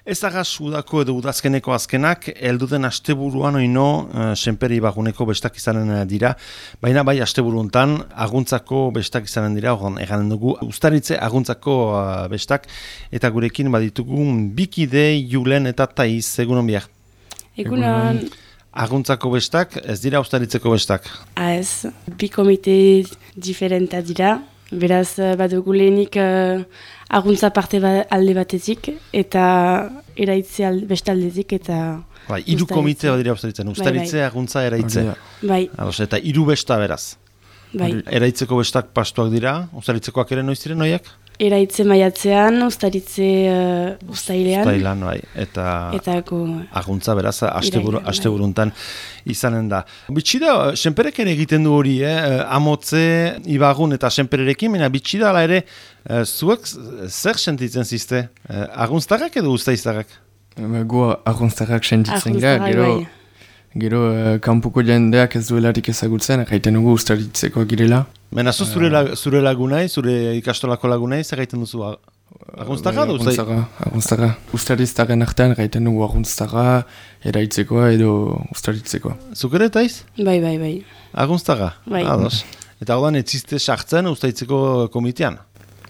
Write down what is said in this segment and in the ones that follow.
Ez agaz udako edo udazkeneko azkenak, elduden asteburuan oino senpere ibaguneko bestak izanen dira, baina bai asteburuntan aguntzako bestak izanen dira, eganen dugu Uztaritze aguntzako bestak, eta gurekin baditugu bikide Julen eta Taiz, egunon biak. Egunon. Aguntzako bestak, ez dira Uztaritzeko bestak? Ez, bi komite diferenta dira, beraz badugu lehenik aguntza parte alde batetik, eta eraitze beste aldetik, eta... Bai, hiru komite badira Uztaritzen, Uztaritze, aguntza, eraitze. Bai. Eta hiru besta beraz. Bai. Eraitzeko bestak pastuak dira, Uztaritzekoak ere noiz diren noiak? Eraitze maiatzean, Uztaritze uztailean. Uztailean, bai. Eta aguntza beraz, asteburuntan izanen da. Bitxida, senperek ere egiten du hori, Amotze, Ibagun eta senpererekin, baina bitxida ala ere, zuek zer sentitzen zizte? Aguntztarrak edo uztaiztarrak? Gu aguntztarrak sentitzen gara, gero kanpuko jendeak ez duelarik ezagutzen, gaiten dugu Uztaritzekoak girela. Menazu zure lagunai, zure ikastolako lagunai, zer gaiten duzu aguntztarra edo uztaiztarra? Aguntztarra. Uztariztarren artean gaiten dugu aguntztarra, eraitzekoa edo Uztaritzekoa. Zuk ere, Taiz? Bai. Aguntztarra? Bai. Ados. Eta hau ez zizte sartzen Uztaritzeko komitean?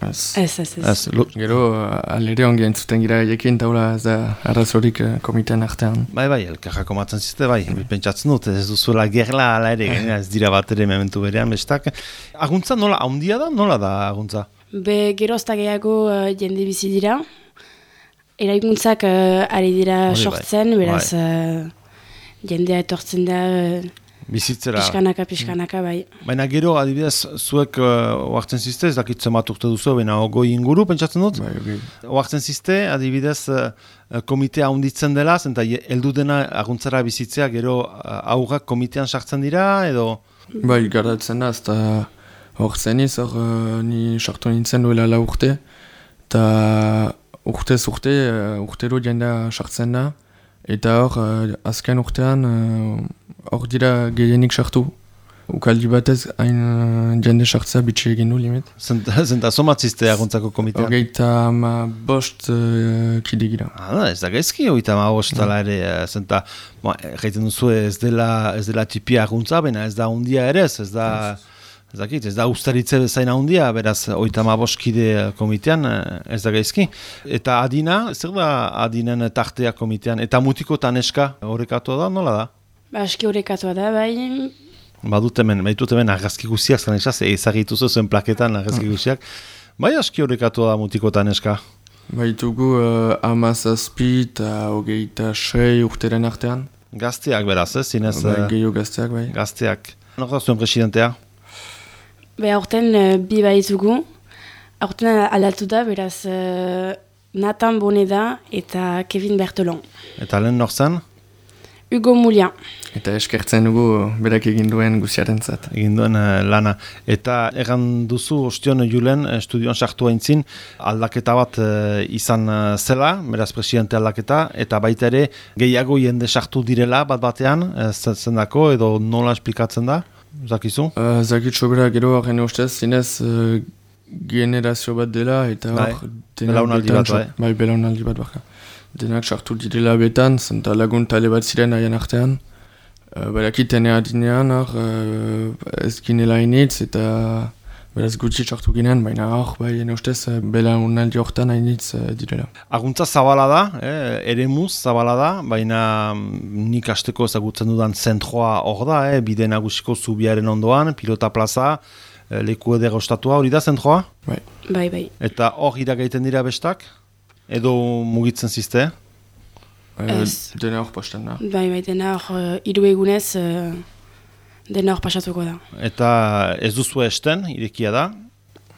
Ez. Gero, alere ongi entzuten gira ekin, taula ez da arrazorik komitean artean. Bai, elkarrako matzen zizte, bai. Pentsatzen dut, ez duzuela gerla ala ere, ez dira bat ere mementu berean, bestak. Aguntza nola, haundia da? Nola da aguntza? Gerozta gehiago jende bizi dira. Eraikuntzak ari dira sortzen, beraz jendea etortzen da... Bizitzera. Pixkanaka, bai. Baina gero, adibidez, zuek oartzen zizte, ez dakit zemat urte duzu, baina ogoi inguru, pentsatzen dut? Bai, okay. Oartzen zizte, adibidez, komitea hunditzen dela, zenta heldu dena aguntzara bizitzea, gero aurrak komitean sartzen dira, edo? Bai, gardatzen da, eta hor zeniz, ni sartu nintzen duela la urte, eta urtero jendea sartzen da, eta hor, azken urtean, hor dira gehienik sartu. Ukaldi batez, hain jende sartzea bitxe egin du limit. Zenta somatzizte aguntzako komitean? Hogeita bost kide gira. Ez da gaizki, hogeita bost tala ere, zenta, gaiten duzu ez dela tipia aguntza, baina ez da hundia ere, ez da Uztaritze bezain handia, beraz, 35 kide komitean, ez da gaizki. Eta adina, zer da adinen tartea komitean? Eta mutiko taneska horrekatua da, nola da? Aski horrekatua da, bai. Baitut hemen argazki guziak, zan esaz, ezagituzu zen plaketan argazki guziak. Bai aski horrekatua da mutiko taneska? Baitugu 17 eta 26 urteren artean. Gazteak beraz, zinez? Gehiago gazteak, bai. Gazteak. Nor da zuen presidentea? Aurten bi baitugu. Aurten aldatu da, beraz Nathan Boneda eta Kevin Bertolon. Eta lehen nor zen? Hugo Moulian. Eta eskertzen dugu berak egin duen guziaren zat. Egin duen lana. Eta egan duzu ostion Julen estudioan sartu haintzin aldaketa bat izan zela, beraz presidente aldaketa, eta baita ere gehiago jende sartu direla bat batean, zendako edo nola esplikatzen da? Zakizu? Zakitxo bera gero haren ustez, zinez generazio bat dela, eta hor... Belaunaldi bat, bai? Bai, belaunaldi bat baka. Denak sartu direla betan, zenta lagun tale bat ziren haien artean. Barakiten adinean, ez ginela initz, eta beraz gutxi sartu ginen, baina hor, bai, ustez, belaunaldi hortan hainitz direla. Aguntza zabala da, eremuz zabala da, baina nik asteko ezagutzen dudan zentroa hor da, bide nagusiko zubiaren ondoan, pilota plaza, leku edera ostatua, hori da zentroa? Bai. Eta hor iragaiten dira bestak? Edo mugitzen zizte? Dena hor pasten da. Bai, dena hor 3 egunez dena hor pasatuko da. Eta ez duzu esten, irekia da?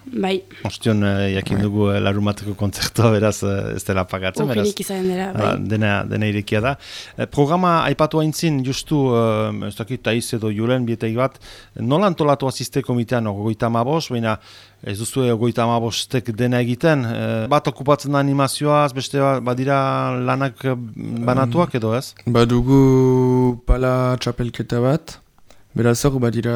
Bai. Ostion jakin dugu larumateko kontzertua, beraz ez dela pagatzen. Okinik izan dela, bai. Dena irekia da. Programa aipatu haintzin, justu, ez dakit, Taiz edo Julen, bieteik bat, nola antolatu azizte komitean 35, baina ez duzu 35-ek dena egiten? Bat okupatzen da animazioaz, beste badira lanak banatuak edo ez? Badugu pala txapelketa bat, beraz hor badira...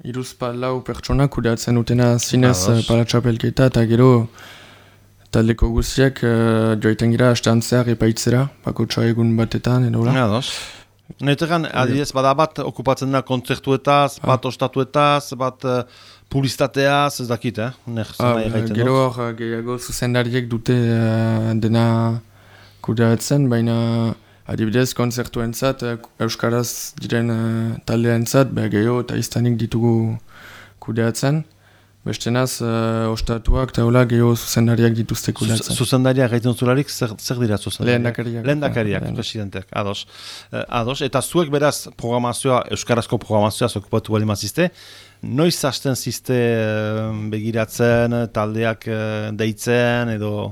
3-4 pertsonak kudeatzen dutena zinez pala txapelketa, eta gero taldeko guztiak joaiten gira astean zehar epaitzera, bakotsa egun batetan, edo la. Ados. Netegan, adidez, bada bat okupatzen da kontzertuetaz, bat ostatuetaz, bat publizitateaz, ez dakit, Gero hor gehiago zuzendariek dute dena kudeatzen, baina adibidez kontzertuentzat, euskaraz diren taldeentzat, gehiago eta iztanik ditugu kudeatzen. Bestenaz, ostatuak eta hola gehiago zuzendariak dituzte kudeatzen. Zuzendariak gaiten zularik, zer dira zuzendariak? Lehendakariak, presidenteak, ados. Eta zuek beraz programazioa, euskarazko programazioa okupatu bali mazizte, noiz hasten zizte begiratzen, taldeak deitzen, edo...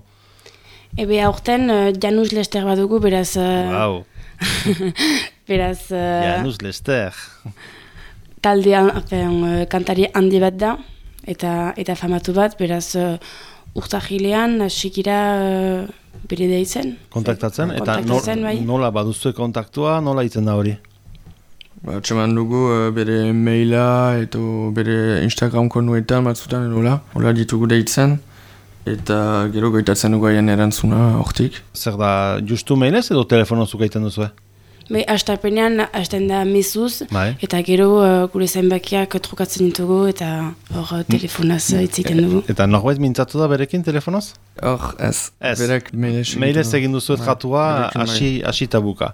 Ebe aurten Janus Lester badugu, beraz... Wow. Beraz... Janus Lester. Taldean kantari handi bat da, eta famatu bat, beraz urtahilean hasikira bere deitzen. Kontaktatzen, eta nola baduzue kontaktua, nola itzen da hori? Txeman dugu bere maila eta bere Instagram konuetan batzutan edola, hola ditugu deitzen, eta gero goitatzen dugu haien erantzuna hortik. Zer da, justu mailez edo telefonozuk egiten duzue? Astapenean, hasten da mezuz, eta gero gure zainbakiak trukatzen ditugu eta hor telefonaz itziten dugu. Eta norbait mintzatu da berekin telefonoz? Hor, ez. Berek mailez egin duzuet jatua hasi tabuka.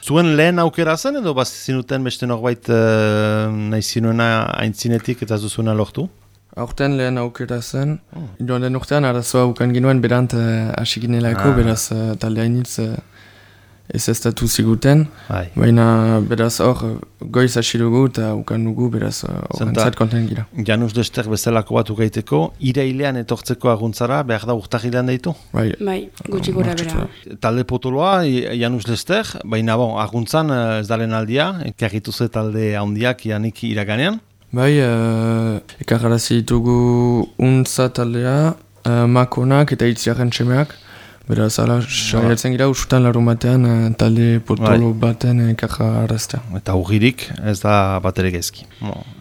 Zuen lehen aukera zen edo zinuten beste norbait nahi zinuena aintzinetik eta zuzuena lortu? Aurten lehen aukera zen. Joan den urtean arazoa ukan ginuen berant hasi ginelako, beraz talde hainitz ez estatu ziguten, baina beraz hor goiz hasi dugu eta ukan dugu beraz horrentzat konten gira. Janus Lester bezalako bat ukaiteko, irailean etortzeko aguntzara behar da urtahilean deitu? Bai, gutxi gora bera. Talde potoloa, Janus Lester, baina aguntzan ez dalen aldia, ekarritu ze talde handiak janik iraganean? Bai, ekarrarazi ditugu untza taldea, makonak eta itziaren txemeak. Beraz, ala, saiatzen gira usutan larun batean talde potolo baten ekarra arraztea. Eta ugirik ez da batere gezki.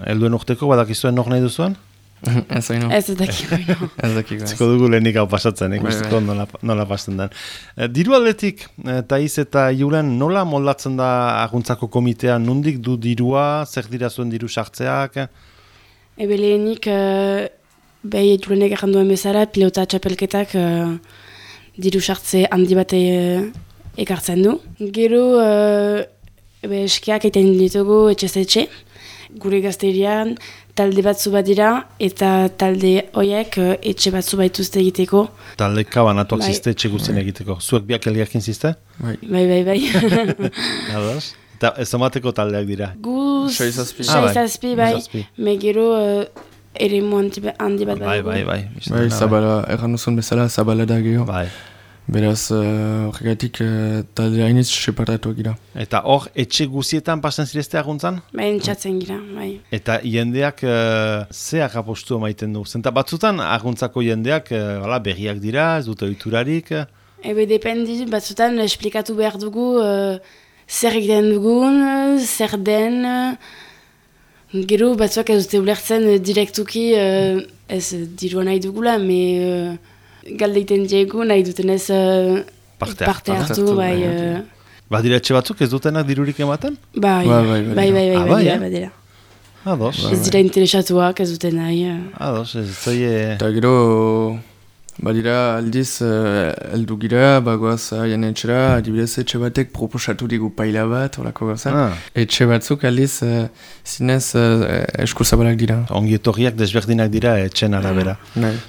Helduen urteko badakizuen nok nahi duzuen? Ez haino. Ez dakiko. Ez dakiko. Ziko dugu lehenik hau pasatzen, guztiko nola pasten den. Diru aldetik, Taiz eta Julen, nola moldatzen da aguntzako komitea? Nondik du dirua, zer dira zuen diru sartzeak? Ebe lehenik, behi Julenek erranduen bezala, pilota txapelketak diru sartze handi bat ekartzen du. Gero eskiak egiten ditugu etxe-etxe, gure gazterian talde batzu bat dira eta talde horiek etxe batzu baituzte egiteko. Talde kabanatuak zizte etxe guztien egiteko. Zuek biak elgarkin zizte? Bai. Ados? Eta ez amateko taldeak dira? Guz, 6 bai. Me gero ere handi bat bai. Bai, zabala, erran duzun bezala, zabala da geho. Bai. Beraz, horregatik talde hainitz separatuak gira. Eta hor, etxe guzietan pasen zirezte aguntzan? Bai, entzatzen gira, bai. Eta jendeak zeak apostu maiten du? Zenta batzutan aguntzako jendeak berriak dira, ez dute oiturarik? Ebe, dependi, batzutan esplikatu behar dugu zer egiten dugun, zer den... Gero batzuak ez dute ulertzen direktuki ez dirua nahi dugula, me galdeiten diegu nahi dutenez parte hartu, bai. Badira etxe batzuk ez dutenak dirurik ematen? Bai, badira. Ados. Ez dira interesatuak ez duten nahi. Ados, ez zoie... Eta gero... Badira aldiz, eldu gira, bagoaz haien etxera, adibidez etxe batek proposatu digu paila bat, horako gauza. Etxe batzuk aldiz, zinez eskuzabalak dira. Ongi etorriak desberdinak dira etxen arabera.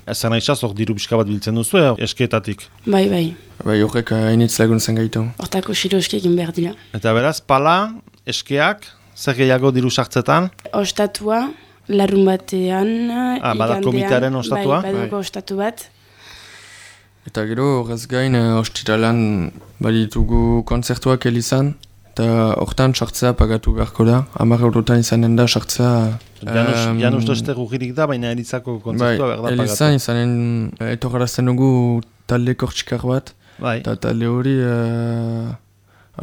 Ezer nahi hor diru pixka bat biltzen duzu, eskeetatik? Bai. Bai, horrek hainitz laguntzen gaitu. Hortako xiro eskeekin behar dira. Eta beraz, pala, eskeak, zer gehiago diru sartzetan? Ostatua, larun batean, bada komitearen ostatua? Bai, baduko ostatu bat. Eta gero, horrez gain, ostiralan baditugu kontzertuak elizan, eta hortan sartzea pagatu beharko da. 10 eurotan izanen da sartzea... Janus Lester ugirik da, baina elizako kontzertua behar da pagatu. Elizan izanen etorgarazten dugu talde kortxikar bat, eta talde hori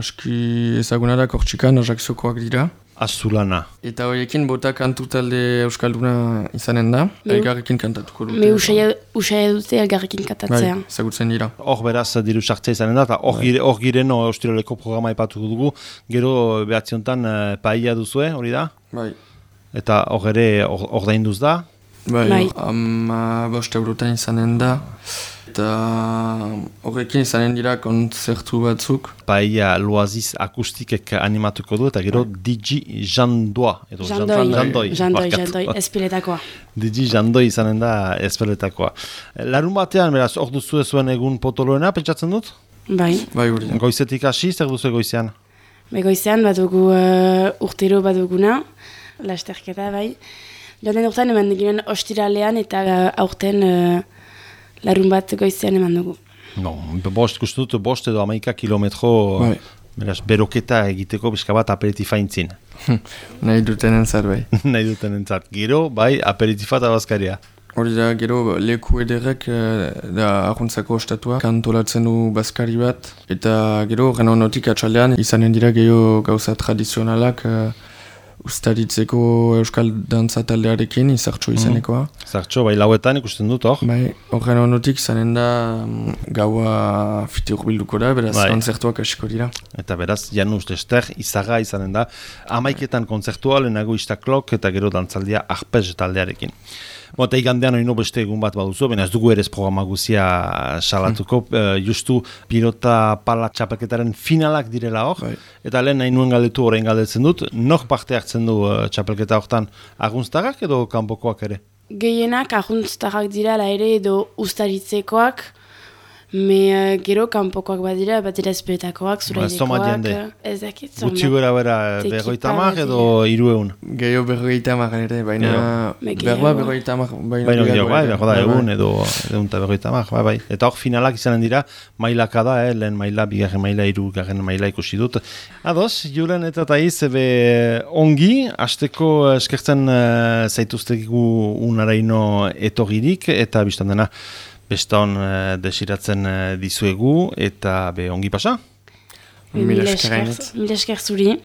aski ezaguna da kortxikan, ajakziokoak dira. Azulana. Eta horiekin bota kantu talde euskalduna izanen da, elgarrekin kantatuko dute. Me usai dute elgarrekin kantatzea. Bai, ezagutzen dira. Hor beraz diru sartzea izanen da, eta hor giren ostiraleko programa ipatuko dugu, gero behatziontan paia duzue, hori da? Bai. Eta hor ere ordainduz da? Bai, 5 eurotan izanen da. Eta horrekin izanen dira konzertu batzuk. Paia Loaziz akustikek animatuko du, eta gero Digi Jandoa. Jandoi, espiletakoa. Digi Jandoi izanen da espiletakoa. Larun batean, beraz, hor duzu zuen egun potoloena, pentsatzen dut? Bai. Bai, hori. Goizetik hasi, zer duzu goizean? Goizean badugu urtero baduguna, lasterketa, bai. Joan urtean eman ginen ostiralean eta aurten larun bat goizean eman dugu. No, bost edo 11 kilometro beraz, beroketa egiteko bizka bat aperitifa intzin. Nahi duten entzat, bai. Nahi duten entzat. Gero, bai, aperitifa eta bazkaria. Hori da, gero leku ederrek da arruntzako ostatua kantolatzen du bazkari bat. Eta gero, gana honotik atxaldean, izanen dira gero gauza tradizionalak ustaritzeko euskal dantza taldearekin, izartxo izanekoa. Izartxo, bai, lauetan ikusten dut, hor? Bai, horren honotik zanen da gaua fiti urbilduko da, beraz konzertuak hasiko dira. Eta beraz, Janus Lester, izaga izanen da, 11etan konzertua, lehenago istaklok, eta gero dantzaldia arpez taldearekin. Eta igandean hori beste egun bat baduzu, baina ez dugu ere programa guzia salatuko, justu pilota pala txapelketaren finalak direla hor, eta lehen nahi nuen galdetu orain galdetzen dut, nok parte hartzen du txapelketa hortan agunztarrak edo kanpokoak ere? Gehienak agunztarrak direla ere edo ustaritzekoak, me gero kanpokoak badira, batera espetakoak, zuraidekoak, ez dakit. Gutxi gora bera 50 edo 300? Gehiago 50 ere, baina berba 50, baina berba egun edo eta 50, bai. Eta hor finalak izanen dira, mailaka da, lehen maila, bigarren maila, hirugarren maila ikusi dut. Ados, Julen eta Taiz, ongi, hasteko eskertzen zaituztegu unaraino etorririk, eta biztan dena, beston desiratzen dizuegu, eta ongi pasa? Mila esker zuri.